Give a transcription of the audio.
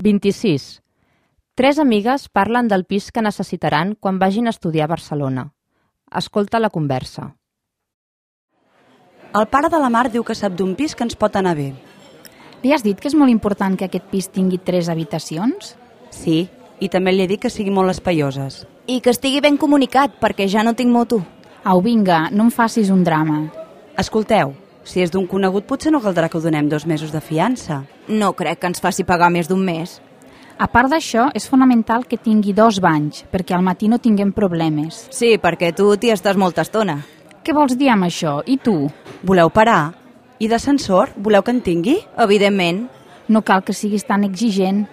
26. Tres amigues parlen del pis que necessitaran quan vagin a estudiar a Barcelona. Escolta la conversa. El pare de la Mar diu que sap d'un pis que ens pot anar bé. Li has dit que és molt important que aquest pis tingui 3 habitacions? Sí, i també li he dit que siguin molt espaioses. I que estigui ben comunicat, perquè ja no tinc moto. Au, vinga, no em facis un drama. Escolteu, si és d'un conegut potser no caldrà que ho donem 2 mesos de fiança. No crec que ens faci pagar més d'un mes. A part d'això, és fonamental que tingui 2 banys, perquè al matí no tinguem problemes. Sí, perquè tu t'hi estàs molta estona. Què vols dir amb això? I tu? Voleu parar? I d'ascensor? Voleu que en tingui? Evidentment. No cal que siguis tan exigent.